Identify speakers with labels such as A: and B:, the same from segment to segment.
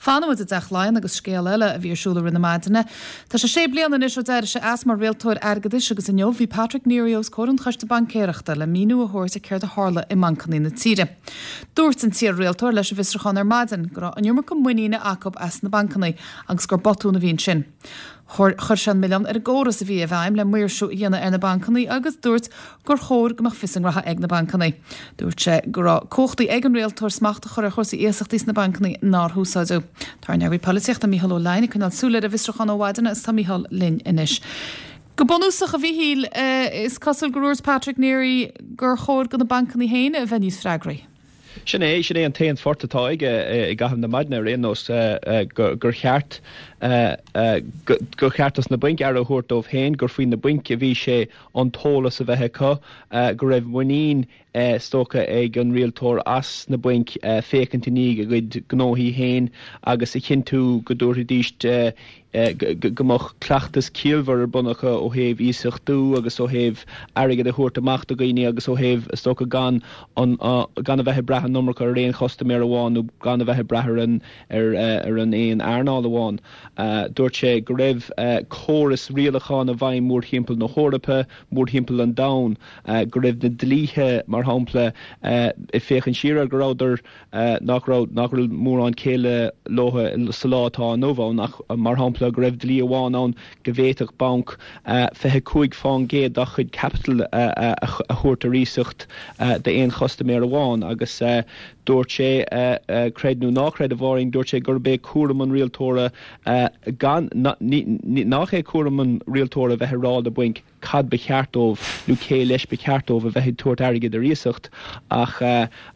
A: Fanfaidh muid i dTeach Laighean agus scéal eile a bhí ar siúl i rith na maidine. Tá sé sé bliana anois ó d'éirigh sé as mar rialtóir airgeadais agus inniu bhí Patrick Neary os comhair an Choiste Baincéireachta le míniú a thabhairt ar céard a tharla i mbancanna na tíre. Dúirt an t-iar-rialtóir leis an bhfiosrúchán ar maidin go raibh an iomarca muiníne acu as na bancanna agus gur botún a bhí ansin. Chuir sé an milleán ar an gcóras a bhí i bhfeidhm le maoirsiú a dhéanamh ar na bancanna agus dúirt gur chóir go mbeadh fios a ngraithe ag na bancanna. Dúirt sé go raibh cumhachtaí ag an rialtóir smacht a chur ar chúrsaí iasachtaí sna bancanna nár húsáideadh. Tá ár n-eagraí polaitíochta Mícheál Ó Leidhin ag coinneáil súil ar an bhfiosrúchán ó mhaidin agus tá Mícheál linn anois. Go bunúsach, a Mhíchíl, is cosúil gur dhúirt Patrick Neary gur chóir do na bancanna féin a bheith níos freagraí.
B: Sin é, sin é an t-aon phort atá aige i gcaitheamh na maidine ar aon nós, gur cheart, gur cheart dos na bainc aire a thabhairt dóibh féin, gur faoi na bainc a bhí sé an t-eolas a bheith acu, go raibh muinín is dócha ag an rialtóir as na bainc féachaint i ndiaidh a gcuid gnóthaí féin agus a chinntiú go dtabharfaidís go mbeadh cleachtas ciallmhar ar bun acu ó thaobh iasachtú agus ó thaobh airgead a thabhairt amach do dhaoine agus ó thaobh, is dócha, gan an, gan a bheith ag brath an iomarca ar aon chustaiméir amháin nó gan a bheith ag brath ar an, ar an aon earnáil amháin. Dúirt sé go raibh córas rialacháin i bhfeidhm mórthimpeall na hEorpa, mórthimpeall an domhain, go raibh na dlíthe, mar shampla, ag féachaint siar air, go rabhadar, nach raibh, nach bhfuil mórán céille leo sa lá atá inniu ann ach, mar shampla, go raibh dlí amháin ann go bhféadfadh banc 25% dá chuid caipitil a thabhairt ar iasacht d'aon chustaiméir amháin agus dúirt sé, creid nó ná creid, a Mháirín, dúirt sé gurb é cúram an rialtóra gan, nach é cúram an rialtóra a bheith ag rá le bainc cad ba cheart dóibh nó cé leis ba cheart dóibh a bheith ag tabhairt airgid ar iasacht ach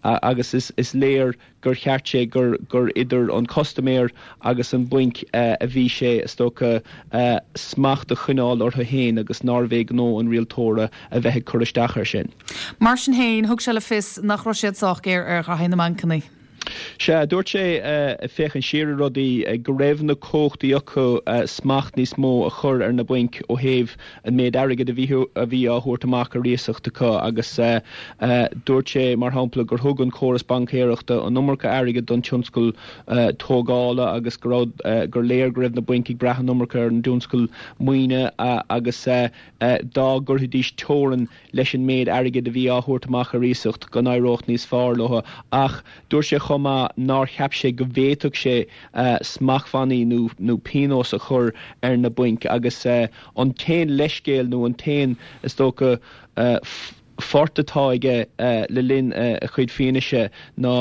B: agus is léir gur cheart sé gur gur idir an custaiméir agus an bainc a bhí sé is dócha smacht a choinneáil orthu féin agus nárbh é gnó an rialtóra a bheith ag cur isteach air sin.
A: Mar sin féin, thug sé le fios nach raibh siad sách géar ar ghraithí na mbancanna.
B: Sea, dúirt sé, ag féachaint siar ar rudaí, go raibh na cumhachtaí acu smacht níos mó a chur ar na bainc ó thaobh an méid airgid a bhí a bhí á thabhairt amach ar iasacht acu agus dúirt sé, mar shampla, gur thug an córas baincéireachta an iomarca airgid don tionscal tógála agus go raibh gur léir go raibh na bainc ag brath an iomarca ar an dtionscal maoine agus dá gcuirfidís teorainn leis an méid airgid a bhí á thabhairt amach ar iasacht go n-éireodh níos fearr leo ach dúirt sé chomh maith nár cheap sé go bhféadfadh sé smachtbhannaí nó nó pionós a chur ar na bainc agus an t-aon leithscéal nó an t-aon is dócha phort atá aige le linn a chuid fianaise ná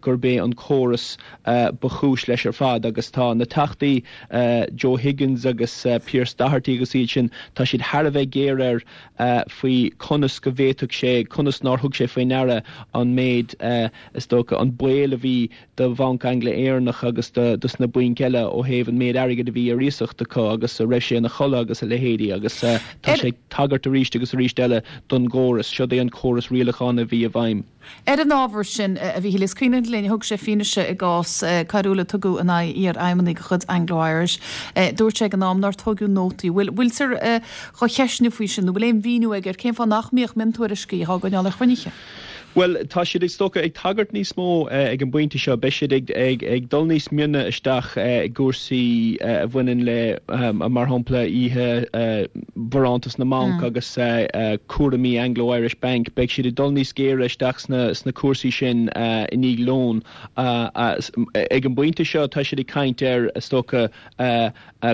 B: gurb é an córas ba chúis leis ar fad agus tá na Teachtaí Joe Higgins agus Pearse Doherty agus iad sin tá siad thar a bheith géar air faoi conas go bhféadfadh sé, conas nár thug sé faoi ndeara an méid, is dócha, an baol a bhí do Bhanc Angla-Éireannach agus dos na bainc eile ó thaobh an méid airgid a bhí ar iasacht acu agus a raibh sé ina chodladh agus a leithéidí agus tá sé ag tagairt arís agus arís eile don gcóras. Siod é an córas rialacháin a bhí i bhfeidhm.
A: Ar an ábhar sin, a Mhíchíl, is cuimhin linn, thug sé fianaise i gcás coiriúil a tugadh in aghaidh iar-fheidhmeannaigh de chuid Anglo Irish. Dúirt sé ag an am nár tóigeadh nótaí. Bhfuil, bhfuiltear dhá cheistniú faoi sin nó bhfuil aon mhíniú aige ar cén fáth nach mbíodh miontuairiscí á gcoinneáil ar chruinnithe?
B: Bhuel, tá siad, is dócha, ag tagairt níos mó ag an bpointe seo. Beidh siad ag dul níos mine isteach i gcúrsaí a bhaineann le, mar shampla, oíche bharántas na mbanc agus cúraimí Anglo Irish Bank. Beidh siad ag dul níos géire isteach sna cúrsaí sin i ndiaidh lóin. Ag an bpointe seo, tá siad ag caint ar, is dócha,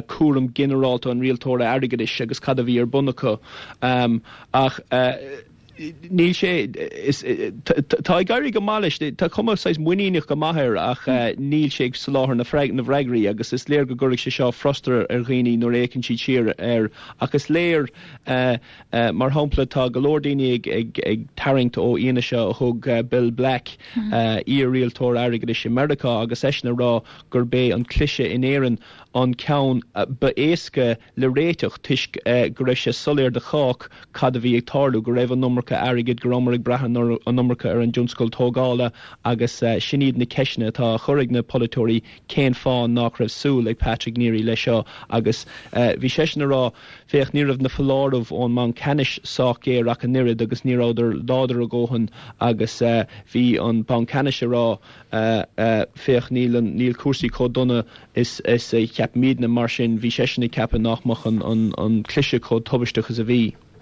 B: cúram ginearálta an rialtóra airgeadais agus cad a bhí ar bun acu. Ach. Níl sé, is, tá ag éirí go maith leis, tá cuma saghas muiníneach go maith air ach níl sé ag soláthar na bhfreagraí agus is léir go gcuirfidh sé seo frustrachas ar dhaoine nuair a fhéachann siad siar air ach is léir, mar shampla, tá go leor daoine ag tarraingt ó fhianaise a thug Bill Black, iar-rialtóir airgeadais i Meiriceá agus eisean ag rá gurb é an cliseadh in Éirinn an ceann ba éasca le réiteach toisc go raibh sé soiléir do chách cad a bhí ag tarlú, go raibh an iomarca. iomarca airgid, go rabhamar ag brath an iomarca ar an dtionscal tógála agus sin iad na ceisteanna atá á chur ag na polaiteoirí, cén fáth nach raibh súil ag Patrick Neary leis seo agus bhí seisean ag rá, féach, ní raibh na foláirimh ón mBanc Ceannais sách géar ach an oiread agus ní rabhadar láidir a dhóthain agus bhí an Banc Ceannais ag rá, féach, níl an, níl cúrsaí chomh dona is a cheapaimidne, mar sin bhí seisean ag ceapadh nach mbeadh an cliseadh chomh tubaisteach is a bhí.